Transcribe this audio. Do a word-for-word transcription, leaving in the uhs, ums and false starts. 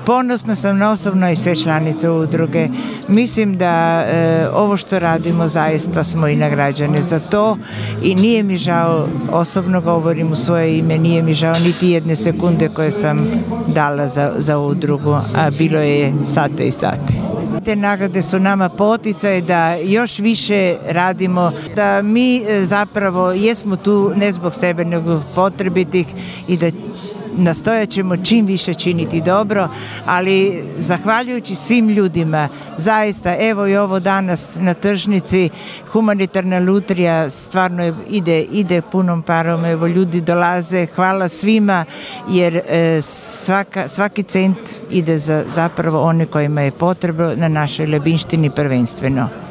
Ponosna sam na osobno i sve članice udruge. Mislim da e, ovo što radimo zaista smo i nagrađene za to i nije mi žao, osobno govorim u svoje ime, nije mi žao niti jedne sekunde koje sam dala za, za udrugu, a bilo je sate i sate. Te nagrade su nama poticaj da još više radimo, da mi zapravo jesmo tu ne zbog sebe nego potrebitih i da nastojat ćemo čim više činiti dobro, ali zahvaljujući svim ljudima, zaista, evo i ovo danas na tržnici, humanitarna lutrija stvarno ide, ide punom parom, evo ljudi dolaze, hvala svima, jer e, svaka, svaki cent ide za zapravo one kojima je potrebno na našoj Lebinštini prvenstveno.